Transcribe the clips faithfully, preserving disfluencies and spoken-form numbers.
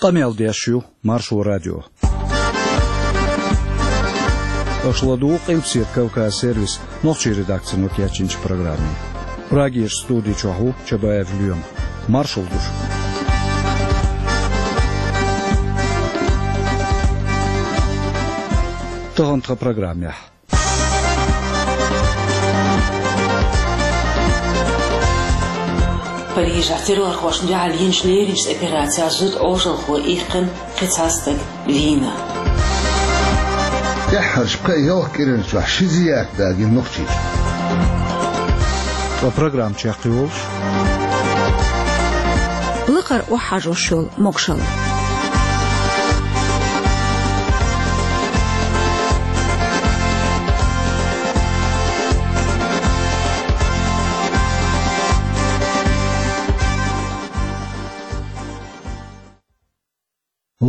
Къамел деш ю Маршо радио. Аша ладугӀу Къилбаседа Кавказ сервисан нохчийн редакцино кечйинчу программе. Прагерчу студи чохь ву Чабаев Лоьма. Маршалла ду шуьга. Тахана тхан программехь. Парижехь террорхошна дуьхьал йинчу леринчу операцехь зуда Ӏожалхо иккхина, кхин цхьа стаг вийна. ТӀаьххьарчу пхеа-ялх кӀиран чохь ши зиярат дагийна Нохчийчохь. Ткъа программа чекхйолуш. Лакхара охьахьажош йолу могушалла.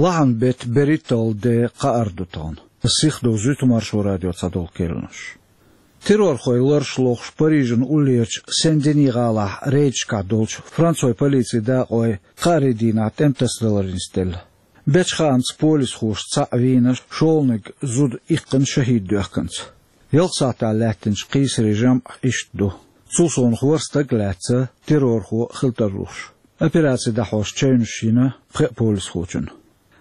Лахьан беттан берхӀитталгӀа де кхаара ду тахана. Сихдовзуьйту Маршо радион цхьадолу керланаш. Террорхойн лараш лохуш Парижан уллерчу Сен-Дени гӀалахь рейдашкахь долчу францойн полицин дакъойн кхаарин дийнахь тӀеман тасадалар нисделла. Бечу хаамца, полисхоша цхьаъ вийна, шолгӀаниг зуда иккхина, шахӀид доьхкинца. Ялх сахьтехь лаьттинчу кхийсарийн жамӀ иштта ду. Цул совнаха ворхӀ стаг лаьцна террорхо хила тарлуш. Операци дӀахьош чевнаш йина пхеа полисхочунна.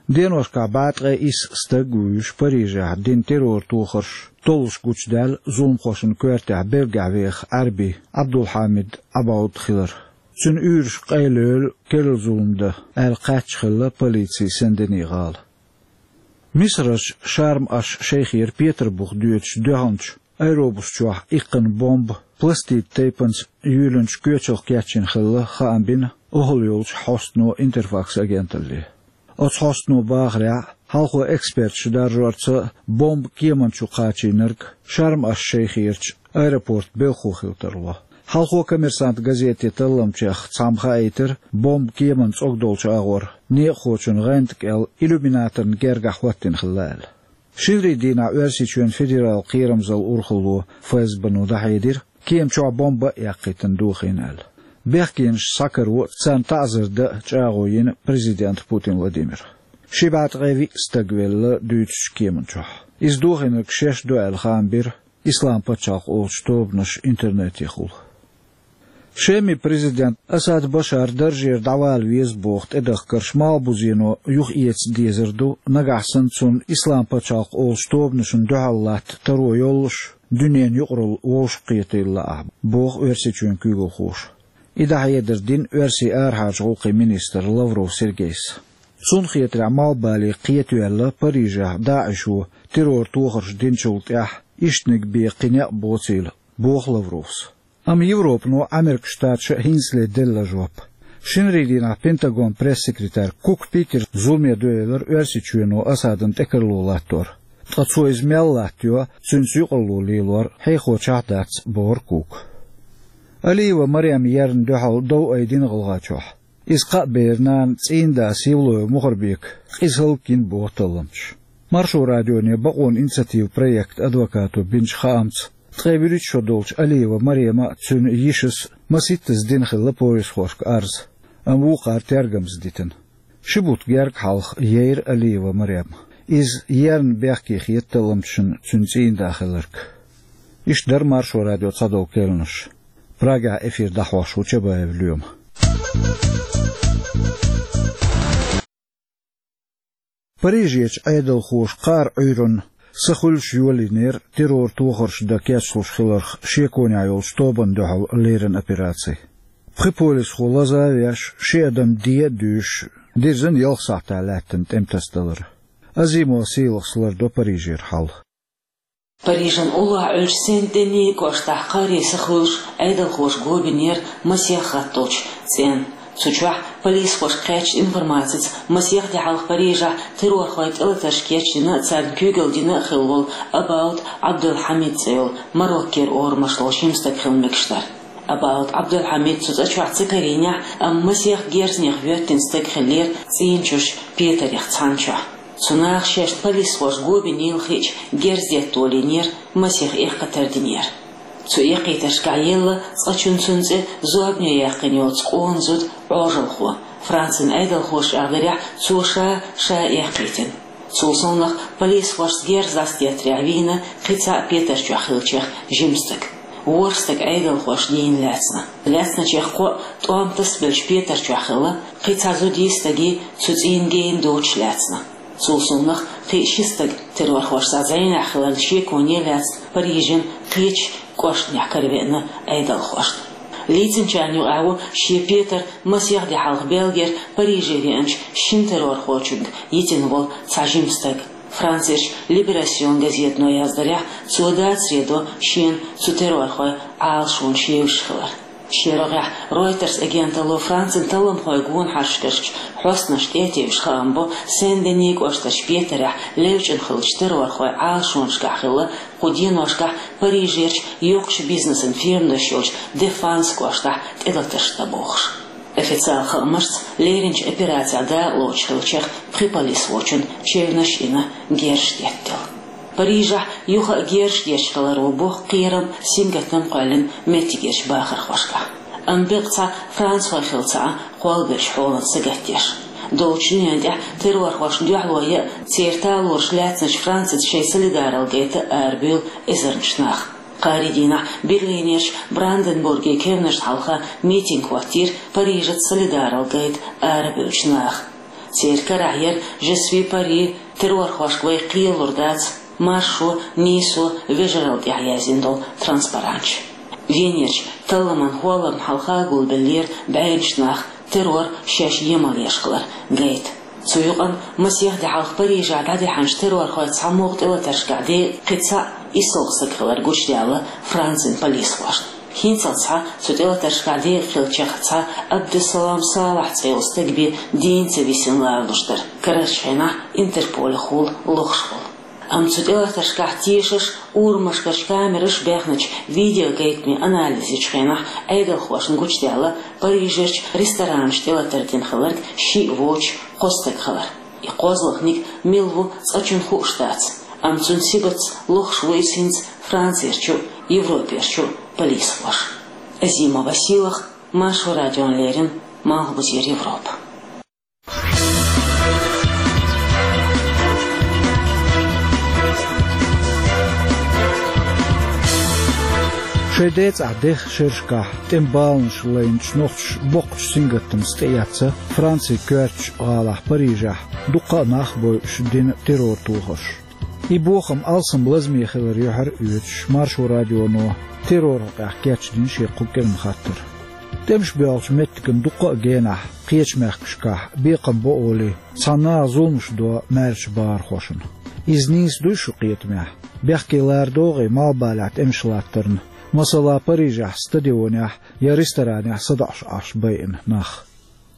Деношкахь бӀе ткъе исс стаг а вуьйш, Парижехь дина террор тохарш толлуш гучудаьлла зуламхошна коьртехь Бельгехь веха Ӏаьрби Ӏабдулхьамид Ӏабауд хилар. Цуьнан уьйраш къайлойла керла зулам дан аьлла кхаьчна хилла полици Сен-Дени гӀала. Мисарерчу Шарм-аш-Шейхера Петарбух доьдучу дуьхьалчу аэробус чохь иккхина бомба пластидан тайпанца юьйлинчу коьчалх кечйина хилла хаам бина охӀла йолчу хьостано Интерфакс агенталле. Оцу хьостано бахарехь, хьалхо эксперташа даржорца бомба кеман чу кхачийнарг Шарм-аш-Шейхерчу аэропортан белхахо хила тарло. Хьалхо «Коммерсант» газетан талламчех цхьамма хаийтира, бомба кеман цӀогдолчу агӀор некъахочун гӀанта кӀел иллюминаторна гергахь хӀоттийна хилла аьлла. Шинарин дийнахь Оьрсийчоьнан федералан кхерамзаллин урхалло ФСБ-но дӀахьедира, кема чохь бомба а яккхийтина дохийна аьлла. Бехкенаш схьакаро а, царна таӀзар дан а чӀагӀо йина президента Путин Владимира. Ши бӀе ткъе виъ стаг велла дуьйцучу кеман чохь. Иза дохийнарг шаьш ду аьлла хаам бира Исламан пачхьалкх олучу тобанаша интернетехула. Шеман президент Асад Башар даржера дӀавала веза боху тӀедахкарш малхбузено юхаэца дезар ду, нагахь санна цунна Исламан пачхьалкх олучу тобанашна дуьхьал латта таро йоллуш, дуьненан юкъаралла вовшахкхетийла лаахь, боху Оьрсийчоьнан куьйгалхоша. И дӀахьедар дина Оьрсийн арахьарчу гӀуллакхийн министра Лавров Сергейс. Цунна хетарехь, малхбале кхетаваьлла Парижехь ДАИШо террор тохарш динчул тӀаьхьа ишттаниг бен кхин некъ боцийла, боху Лавровс. Амма Европано Ӏамеркан Штаташа а хӀинцале делла жоп. Шинарин дийнахь Пентагонан пресс-секретарь Кук Питера зуламе доьллира Оьрсийчоьно Асадна тӀекарло латтор. Ткъа цо иза мел латтайо, цуьнца юкъаралла лелор хьехочохь а дац, бохура Кука. Алиева Марема ерна дуьхьал дов айдина ГӀалгӀайчохь. Иза кхаъ бер нана цӀийнан да Сивлоев Мухарбека къиза хӀаллакйина боху талламчаша. Маршо радионе «Бакъонан инициатива» проектан адвокато бинчу хаамца, ткъе вуьрхӀитта шо долчу Алиева Марема а, цуьнан йишас а масийттаза дина хилла полисхошка арз, амма вукхара тергамза дитина. Ши бутт герга хьалха яйра Алиева Марем. Иза ерна бехке хета талламчашна цуьнан цӀийнан да хилларг. Иштта дара Маршо радион цхьадолу керланаш. Прагехь эфир дӀахьош ву Чабаев Лоьма. Парижерчу Ӏедалхоша кхааран Ӏуьйранна са хуьлуш йолийнера террор тохарш дан кечлуш хиларх шеконехь йолчу тобанна дуьхьал леррина операци. Пхи полисхо лаза а веш, ши адам де а дуьйшуш, дирзина ялх сахьтехь лаьттина тӀеман тасадалар. Азимова Сийлахьас лардо Парижера хьал. Парижан уллохь Ӏуьллучу Сен-Дени кӀоштахь кхааран са хуьлуш, Ӏедалхоша го бинера масех хатталгӀачу цӀенна. Цу чохь полисхошка кхаьчначу информацица, масех де хьалха Парижехь террорхойн тӀелатарш кечдина а, царна куьйгалла дина а хилла волу Абауд Ӏабдулхьамид цӀе йолу Мароккера орамаш долу жима стаг хила мегаш дара. Абауд Ӏабдулхьамид цу цӀа чохь ца карийнехь а, амма масех герзнех йоьттина стаг хиллера цӀийнан чуьрчу петарех цхьана чохь. Цу наха шаьш полисхоша го бинийла хиъча, герз детта долийнера, масех эккхийтар динера. Цу эккхийтаршкахь елла цкъачунна цуьнан цӀе зорбане яьккхина йоцу къона зуда Ӏожалхо. Францин Ӏедалхоша чӀагӀдарехь, цо ша ша эккхийтина. Цул совнах, полисхошца герз дӀасадеттарехь вийна кхин цхьа Петар чохь хиллачех жима стаг. ВорхӀ стаг Ӏедалхошна дийна лаьцна. Лаьцначех кхоъ тӀом тасабелча Петар чохь хилла, кхин цхьа зудий, стагий цу цӀийнан гена доцуш лаьцна. Цул совнах, кхин ши стаг террорхошца зӀенехь хиларна шеконе лаьцна Парижан кхечу кӀоштанехь каравеана Ӏедалхошна. Лийцинчарна юкъахь ву шен Петар масех де хьалха Бельгера Париже веанчу шина террорхочуьнга йитина волу цхьа жима стаг. Францерчу «Либерасьон» газетано яздарехь, цо дацаре до шена цу террорхойн Ӏалашонаш евзаш хилар. Шен рогӀехь Reuters агенталло Францин талламхойн гонахаршкарчу хьостанашна тӀе а тевжаш хаам бо, Сен-Дени кӀоштарчу Петарехь левчӀина хиллачу террорхойн Ӏалашонашкахь хилла кху деношкахь Парижерчу йоккхачу бизнесан фирманаш йолчу Дефанс кӀоштахь тӀелатарш дан бохуш. Официалан хаамашца, леринчу операцехь дакъалоцуш хиллачех пхи полисхочун чевнаш а йина, герзаш деттаделла. Парижехь юха а герзаш детташ хиларо бо кхерам, сингаттам а кхоьллина меттигерчу бахархошкахь. Амма беккъа цхьа францхой хилла ца Ӏа кхолберш хьолан сагатдеш. Долчу дуьнен тӀехь террорхошна дуьхьало ян а, церан талораш лаьцначу Францица шайн солидаралла гайта арабевлла эзарнаш нах. Кхаарин дийнахь Берлинерчу Бранденбургерчу кевнашна хьалха митинг хӀоттийра Парижаца солидаралла гайта арабевллачу наха. Церан карахь яра «Je suis Paris», «Террорхошка вай кхелалур дац», «Маршо, нийсо, вежаралла» тӀехь яздина долу транспаранташ. Венерчу талламан хӀолламна хьалха гулбеллера бӀеннаш нах, террор шаьш емал еш хилар гайта. Цу юкъана масех де хьалха Парижехь дӀадаьхьначу террорхойн цхьамогӀа тӀелатаршкахь декъа кхин цхьа исс стаг хилар гучудаьлла Францин полисхошна. ХӀинццалц цхьа цу тӀелатаршкахь декъа хиллачех цхьа Абдусалам Салахь цӀе йолу стаг бен дийна ца висина ларалуш дара, карарчу хенахь Интерполехула лохуш волу. Амма цу тӀелатаршкахь тешаш, урамашкарчу камераш баьхначу видеогайтамийн анализ йечу хенахь Ӏедалхошна гучудаьлла Парижерчу ресторанаш тӀелатар дина хилларг шиъ воцуш кхо стаг хилар. И кхозлагӀниг мила ву цкъачунна хууш дац, амма цуьнан сибатца лохуш ву иза хӀинца Францерчу а, Европерчу а полисхоша. Азима Василах, Маршо радиона леррина, Малхбузера Европа. Шайн децӀахь дехачу шерашкахь тӀеман баланаш лайначу нохчаша боккхачу сингаттамца тӀеэцна Францин коьртачу гӀалахь Парижехь дуккха а нах а бойуш дина террор тохарш. И бохам алсам лазаме хилар юьхьар а оьцуш, Маршо радионо терроран хьокъехь кечдина шен кху кӀиран хаттар. ТӀемаш боьлхучу меттиган дуккха а генахь кхечу мехкашкахь бекхам бо олий, цхьана наха зуламаш до маьршачу бахархошна. Иза нийса дуй шун кхетамехь? Бехке лара догӀий малхбалехь тӀемаш латтарна, масала, Парижехь стадионехь я ресторанехь садоӀуш Ӏаш байина нах?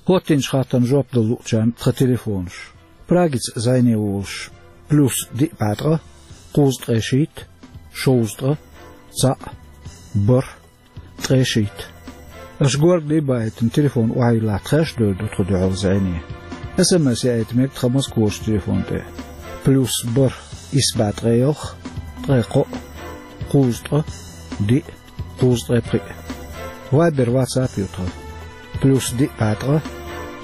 ХӀоттийначу хаттарна жоп дала луучарна тхан телефонаш. Прагица зӀене волуш: плюс диъ бӀе ткъа, кхузткъе шийтта, шовзткъа, цхьаъ, бархӀ, ткъе шийтта. Аша горгали баийтина телефон охьайиллахь, тхаьш а девр ду тхо дуьхьал зӀене. СМС яийта мега тхан Москварчу телефон тӀе: плюс бархӀ, исс бӀе ткъе ялх, ткъе кхоъ, кхузткъа, диъ, кхузткъе пхиъ. Вайбер, ватсап ю тхан: плюс диъ бӀе ткъа,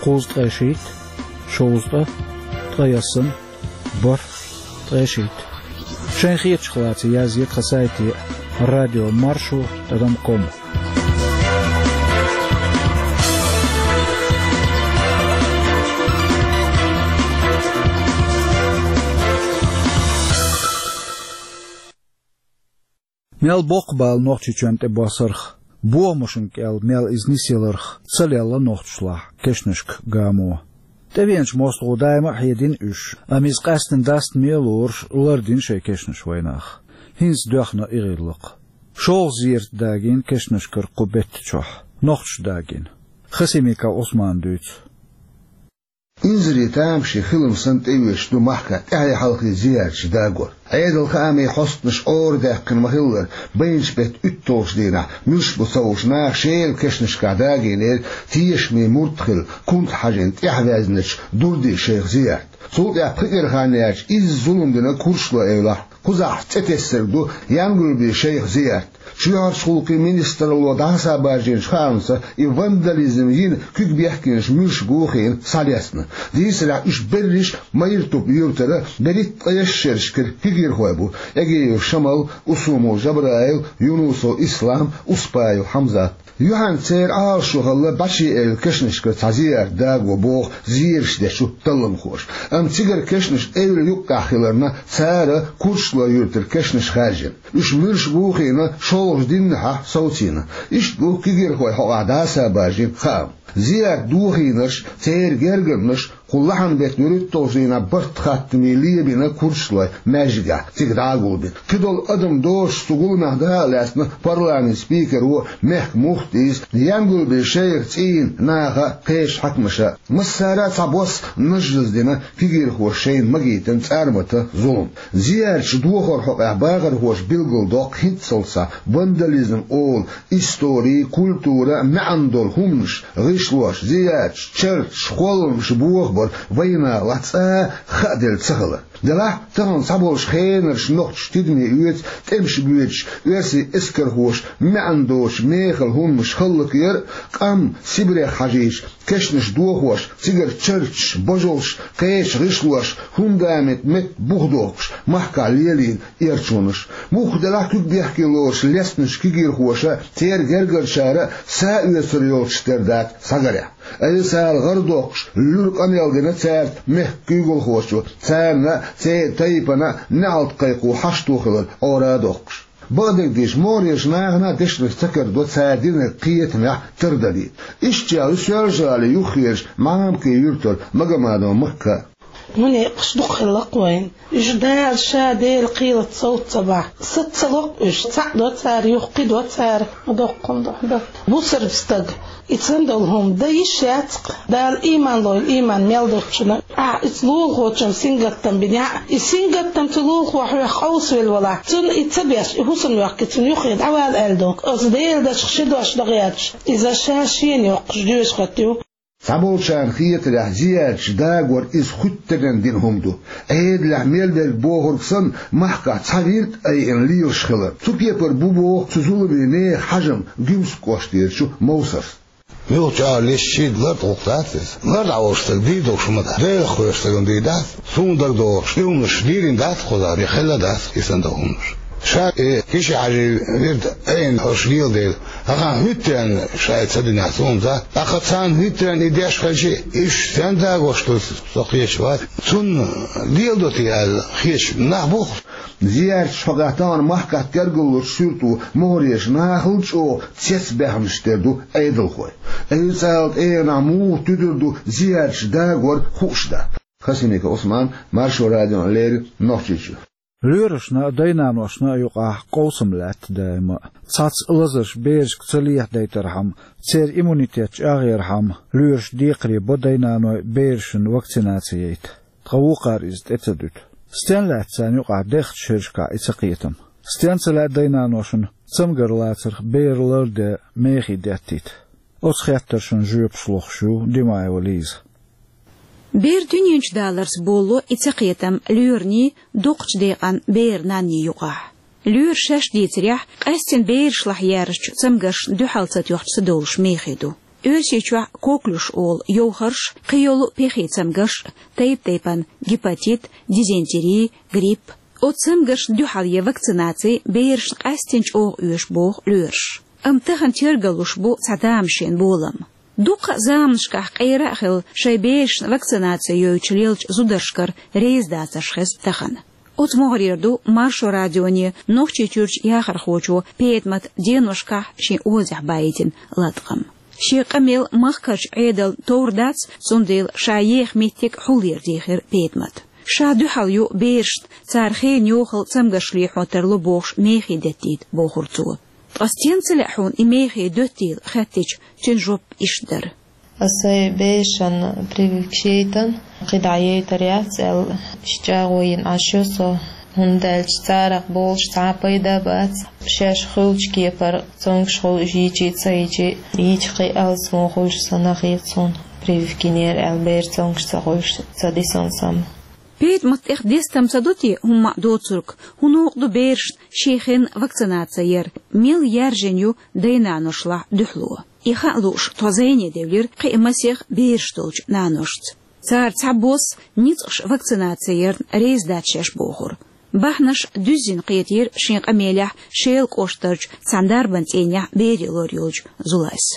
кхузткъе шийтта, шовзткъа, ткъе ялсамани, бархӀ, ткъе шийтта. Шайн хеташ хиларца язъе тхан сайте: радио маршо тӀадам ком. Мел боккха бала Нохчийчоьнна тӀебоссарх, бохамашна кӀел мел иза нисъяларх ца лелла нохчашлахь кешнашка гамо. ТӀевеанчу мостагӀо даима а хьедина уьш, амма иза къаьстина дастаме а лоруш лардина шайн кешнаш вайнах. ХӀинца доьхна и гӀиллакх. ШолгӀа зерат дагийна кешнашкара кху бетта чохь, нохчаша дагийна. Хасимиков Ӏусмана дуьйцу. Инзаре тамашийна хилам санна тӀеоьцуш ду махкахь тӀаьхье-хьалхе зиярташ дагор. Ӏедалан хаамийн хьостанаш Ӏора даьккхина ма-хиллара, байначу беттан уьтталгӀачу дийнахь, муьлш бу ца хууш, наха шеран кешнашкахь дагийнера тешаме мурд хилла, кунта хьажийна тӀаьхьаваьзначу Дурди-шайх зиярт. Цул тӀаьхьа пхи кӀира хан яьлча, изза зулам динарг, хӀорш ло эвлахь, кхузахь цӀе тесарг ду Янгулби-шайх зиярт. Ши хьарчхулкхи министралло дӀасабаржийначу хаамца, и вандализм йина куьг бехкенаш муьлш бу хиъна схьалецна. Дийцарехь, уьш берриш Майртуп юьртара берхӀитта ткъе шерашкара кегийрхой бу: Эгиев Шамал, Усумов Жабраил, Юнусов Ислам, Успаев Хьамзат. Юьхьанца церан Ӏалашо хилла бӀеши эвла кешнашкара цхьа зиярат дагор боху зераш дечу талламхоша. Амма цигара кешнаш эвла юккъехь хиларна, цара Курчалой юьртара кешнаш хаьржина. Уьш муьлш бу хиъна шолгӀачу дийнахьа совцийна. Иштта бу кегийрхойн хьокъехь дӀасабаржийна хаам. Зиярат дохийнарш, церан гергарнаш кху лахьан беттан вуьрхӀитталгӀачу дийнахь барт хаттаме лебина Курчалойн маьждигехь, цига дӀа а гулбина. Кхидолу адам доцуш цу гуламехь дакъа лаьцна парламентан спикеро, мехкан муфтийс, Янгулбин шайх цӀийнан наха, кхечу хьаькамаша. Массара а цхьабосса нажжаздина кегийрхоша шайна магийтина цӀармата, зулам. Зиярташ дохоран хьокъехь бахархоша билгалдоккху хӀинццалц вандализм олу истори, культура, маьӀна долу хӀуманаш, гӀишлош, зиярташ, чарташ, кхолламаш бохабар вайнахалахь цкъа а хааделла ца хилар. Делахь, тахана цхьаболчу хенарчу нохчаша тидаме оьцу тӀемаш боьдуш, оьрсийн эскархоша маьӀна доцучу мехала хӀуманаш хӀаллакъяр а, къам Сибрех хьажийча, кешнаш дохош, цигара чарташ, божалш, кхечу гӀишлош, фундамент метта бухдоккхуш, махкахь лелийна эрчонаш. Мухха делахь, куьг бехке лоруш лецначу кегийрхоша, церан гергарчара са оьцур йолчуш тера дац схьагарехь. Айса гӀар доккхуш, луьра къамел дина цаьрца мехкан куьйгалхочо, царна а, церан тайпана а неӀалт кхайкхо хьашто хилар Ӏора а доккхуш. Бакъдерг дийцича, могӀарерчу нахана а дешнаш ца карадо цара динарг кхетамехь тардалийта. Иштта чӀогӀа ю Соьлжа-ГӀалин юххерчу Мамки юьртара Магомадова Макка. Мунекъаш дукха хилла-кх вайн. Уьш Дала ша Делан кхелаца совца ца бахь, саца ца ло-кх уьш, цхьаъ до цара, юха кхин до цара, ма доккхун до, дан. Бусалба стаг, и цхьана долу хӀума дан йиш яц-кх. Дала ийман лойла, ийман мел долчунна. Ахьа иза лулахочун сингаттам бинехь а, и сингаттам цу лулахо хьоьх къовсавелла валахь, цунна и ца беш, и хӀусамна йоккхий, цунна юххе дӀавала аьлла ду. Оцу Делан дашах ши дош дан гӀерташ, иза ша шена йоккхуш доьшуш хӀоттайо. Цхьаболчарна хетарехь, зиярташ дагор иза хуьттаренна дина хӀума ду. Ӏедалехь мел дерг бохург санна, махкахь цхьа вирд а айина лелаш хилар. Цу кепара бу боху цу зуламийн нехан хьажам Гуьмсан кӀоштерчу Мовсарс. Муьлхха чӀогӀа леш чийда лар тӀулг дац иза. Лар дӀаволуш стаг дийр долуш ма дац. Делах кхоьруш стагана дийр дац. Суна дагадогӀуш, и хӀуманаш дийрина дац кхузахь, я хилла дац и санна долу хӀуманаш. Ша и Киши-Хьаьжин вирд айина хӀорш леладелла, ахьа хӀуьттаренна ша и ца динехь, суна дац. ТӀаккха царна хӀуьттаренна и деш хилча, уьш стенна дагош ду, со кхеташ вац. Цунна леладо те аьлла хеташ нах бу-кх. Зиярташ хьокъехь тахана махкахь гергарлучу суьрто могӀарерчу нахал а чӀогӀа цецбаьхнаш тера ду Ӏедалхой. Айса ала тӀегӀанахь муха туьдур ду зиярташ дагор хууш дац. Хасимиков Ӏусман, Маршо радиона леррина, Нохчийчуьра. Лоьрашна а, дайнаношна а юкъахь къовсам лаьтта даима а. Цхьацца лазарш берашка ца лехьадайтархьама, церан иммунитет чӀагӀъярхьама, лоьраша декхаре бо дайнаной берашна вакцинаци яйта. Ткъа вукхара иза тӀе ца дуьту. Стенна лаьтта царна юкъахь дехначу шерашкахь и цакхетам? Стенна ца лаьа дайнаношна цамгар лацарх бер ларде мехий деттийта? Оцу хеттаршна жоьпаш лохуш ю Димаева Лиза. Бер дуьнен чу даларца болало и цакхетам лоьрний, доккхачу декъан беран нанний юкъахь. Лоьраша шаьш дийцарехь, къаьстина берашлахь яьржачу цамгаршна дуьхьал ца тоьхча ца довлуш мехий ду. Оьрсийчохь коклюш олу йовхарш, кхийолу пехий цамгарш, тайп-тайпана гепатит, дизентери, грипп. Оцу цамгаршна дуьхьал ян вакцинаци берашна къаьстина чӀогӀа оьшу боху лоьраша. Амма тахана тергалуш бу цхьа тамашийна болам. Дуккха а заманашкахь къера а хилла, шайн берашна вакцинаци йойтуш лелачу зударшкара реза дацарш хеза тахана. Оцу могӀарера ду Маршо радионе Нохчийчуьрчу яхархочо Петамата деношкахь шен озехь баийтина латкъам. Шен къамел махкарчу Ӏедална товр дац, цундела ша еха меттиг хьулъера дийхира Петамата. Ша дуьхьал ю берашна, цара хенан йохалла цамгарш лехьо тарло бохуш мехий деттийта, бохура цо. Ткъа стенна ца лаьа хьуна и мехий доьттийла хаьттича, цуьнан жоп иштта дара. Аса сайн берашна прививка яйтина, кхидӀа яйтар яц аьлла, иштта чӀагӀо йина Ӏаш ю со, хӀунда аьлча царах болуш цхьа а пайда бац. Шаьш хуьлучу кепара цомгуш хуьлу, йийчий ца йийчий, йийча кхин алсам хуьлуш санна хета суна, прививка йинера аьлла бер цомгуш ца хуьлуш, ца дисина санна. Пайда ма тӀех дестам ца ду те хӀумма а доцург, хӀун новкъа ду берашна ший хенна вакцинаци яр, мел яьржина ю дай-наношлахь дуьхьало. И хаа лууш, тхо зӀене девлира кхин а масех бераш долчу наношца. Цара цхьабосса ницкъаш вакцинаци ярна реза дац шаьш бохура. Бахьанаш дуьззина кхетийра шен къамелехь Шелан кӀоштарчу цхьана дарбан цӀийнехь берийн лор йолчу Зулайс.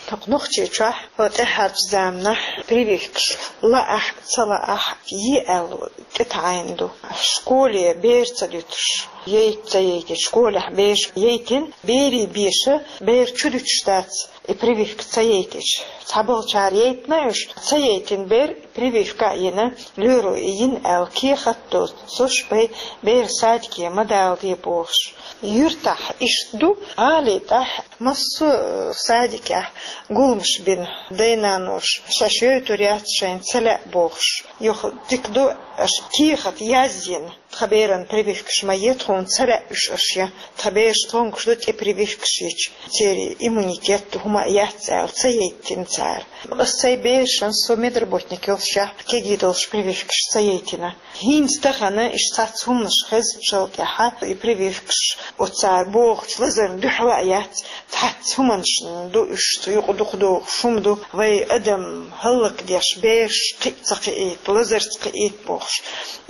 ТӀаккха Нохчийчохь хӀокху тӀаьхьарчу заманахь прививкаш лаахь а, ца лаахь а, йи аьлла тӀетаӀийна ду. Школе бер ца дуьтуш, яйта ца яйтича, школехь бераш яйтина, берийн беша бер чу дуьтуш дац и прививка ца яйтича. Цхьаболчара яйтина уьш, ца яйтина бер прививка а йина, лоьро и йина аьлла кехат а доцуш, бай бер садике ма даладе бохуш. Юьртахь иштта ду, гӀали тӀехь массо а садикехь гуламаш бина, дай-наноша шаьш йойтур яц, шайна ца лаьа бохуш. Юха дика ду аша кехат язйина, тхан беран прививкаш ма е, тхуна ца лаьа уьш аша я, тхан бераш тхонгаш ду тӀе прививкаш йича, церан иммунитет хӀума а яц аьлла, ца яйтина цара. Ас сайн берашна, со медработник йолушехь, кегий долуш прививкаш ца яйтина. ХӀинца тахана иштта цхьацца хӀуманаш хезначул тӀаьхьа и прививкаш оцара бохучу лазарна дуьхьал а яц, цхьацца хӀуманашна ду уьш, цу юкъа дукха догӀуш хӀума ду, вай адам хӀаллакдеш, бераш кхин а ца кхиийта, лазарца кхиийта бохуш.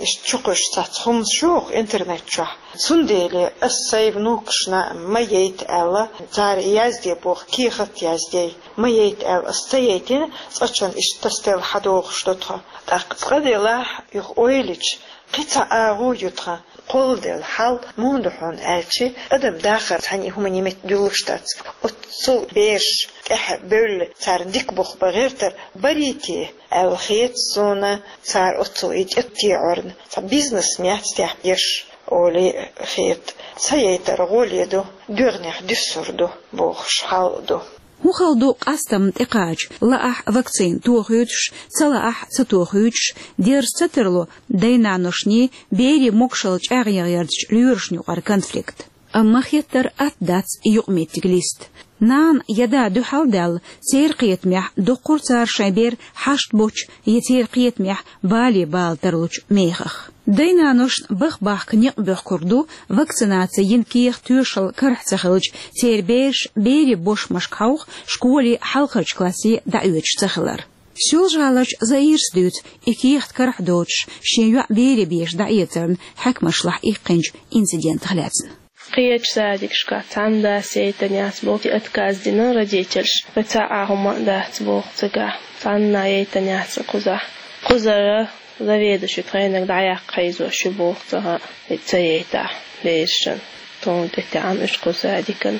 Иштта чукхуьйсуш цхьацца хӀуманаш ю хӀокху интернет чохь. Цундела ас сайн внукашна ма яйта аьлла, цара язде боху, кехат а яздей, ма яйта аьлла, ас ца яйтина, цкъачунна иштта тасаделла хьадогӀуш ду тхо. ТӀаккха цкъа делахь, юха ойла йича, кхин цхьа агӀо ю тхан, кхолладелла хьал муха ду хьуна аьлча, адам дахар цхьаьна хӀумане меттадуьллуш дац. Оццул бераш тӀаьхьа бевлла, царна дика бух бан гӀертар барий те аьлла хета суна, цара оццул и тӀе а теӀорна, цхьа бизнес ма яц техь ерш, олий хета. Ца яйтар гӀоле ду, доьгӀнех дуьссур ду бохуш хьал а ду. ХӀун хала ду къастамна тӀекхача, лаахь вакцина тохуьйтуш, ца лаахь ца тохуьйтуш, дерза ца тарло дай-наношний, берийн могушалла чӀагӀъяран ярдачу лоьрашна юкъара конфликт. Амма хеттар атта дац и юкъаметтиг листа. Нана я да дуьхьал а даьлла, церан кхетамехь доккхур цара шайн бер хьашт боцчу я церан кхетамехь бале бала тарлучу мехах. Дай-наношна баха-бахка некъ боьхкур ду, вакцинаци йина кехат тоьшалла карахь ца хилча, церан бераш берийн бошмашка хьовха, школи хьалхарчу классе дӀаоьцуш ца хилар. Соьлжа-ГӀаларчу Заирас дуьйцу и кехат карахь доцуш, шен йоӀ берийн беша дӀаэцарна хьаькамашлахь иккхинчу инцидентах лаьцна. Кхечу садикашкахь цхьанна дас яйтина яц боху, отказ дина родительша, вай цхьа а хӀума а дац боху цигахь, цхьанна а яйтина яц кхузахь. Кхузара заведующий тхайнарг дӀаяккха хьийзош ю боху цигахь, и ца яйтахь берашна. Тхуна тӀетаьӀна уьш кху садикан.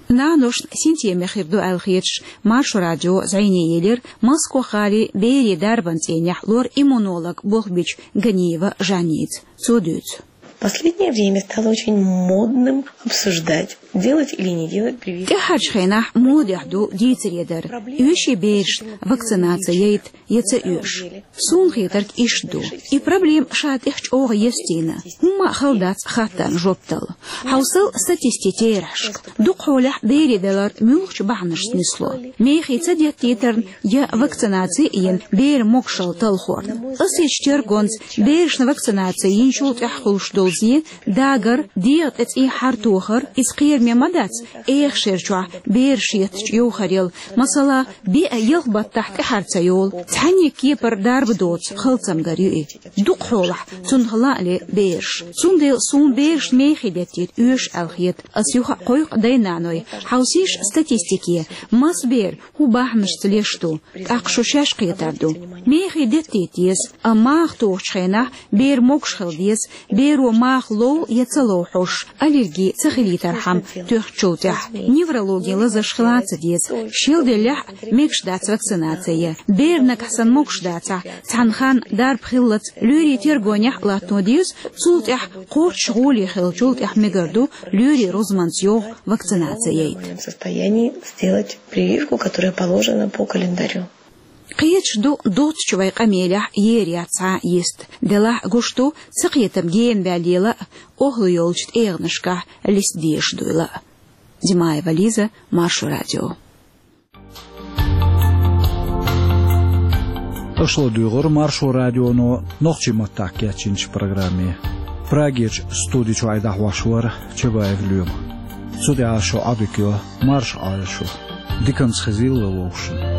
Наношна синтеме хир ду аьлла хеташ, Маршо радио зӀене елира Москва-гӀалин берийн дарбан цӀийнехь лор-иммунолог болх бичу Ганиева Жанница. Цо дуьйцу. Последнее время стало очень модным обсуждать, делать или не делать прививки. ТӀаьххьарчу хенахь модехь ду дийцаре дар, оьший берашна вакцинаци яйта я ца оьшу. Суна хетарг иштта ду. И проблема ша тӀехь чӀогӀа естийна. ХӀумма а хала дац хаттарна жоп дала. Хьовсал статистикин терахьашка. Дукхахьолехь берийн далар муьлхачу бахьанашца нисло. Мехий ца деттийтарна я вакцинаци а йина, беран могушалла талхорна. Къасийчу тергонца берашна вакцинаци йинчул тӀаьхьа хуьлуш долу зе, дагар, дегӀан тӀе цӀий хьартохар, иза кхераме ма дац, эха шер чохь бераш еттачу йовхарел, масала, биъ-ялх баттахь тӀаьхьара ца йолу, цхьаьнниг кепара дарба доцу халцамгар ю и. Дукхахьолахь цунах лаа ле бераш. Цундела суна берашна мехий деттийта оьшу аьлла хета. Ас юха а кхойкху дай-наной, хьовсийша статистике, маса бер хӀун бахьанашца леш ду, тӀаккха шу шаьш кхетар ду. Мехий деттийта деза, амма маха тухучу хенахь беран могуш хила деза, беро маха лов я ца лов хьожуш, аллерги ца хилийтархьама тоьхначул тӀаьхьа. Неврологин лазарш хила а ца деза. Шел деллехь а мегаш дац вакцинаци. Беран нагахь санна могуш дацахь, цхьана ханна дарба хиллалц лоьрийн тергонехь а латтано деза, цул тӀаьхьа кхоччуш гӀоле хиллачул тӀаьхьа мегар ду лоьрийн рузманца йовха вакцинаци яйта. В состоянии сделать прививку, которая положена по календарю. Кхеташ ду, доцучу вай къамелехь ер яц цхьа а йист. Делахь а гуш ду, цакхетам гена ваьллийла а, охӀла йолчу тӀегӀанашкахь листа дезаш дуйла а. Димаева Лиза, Маршо радио. Аша ладугӀура Маршо радионо нохчийн маттахь кечйинчу программе. Прагерчу студи чохь и дӀахьош вара Чабаев Лоьма. Цу тӀехь шун Ӏодика йо, марша Ӏойла шу. Диканца хезийла вовшашна.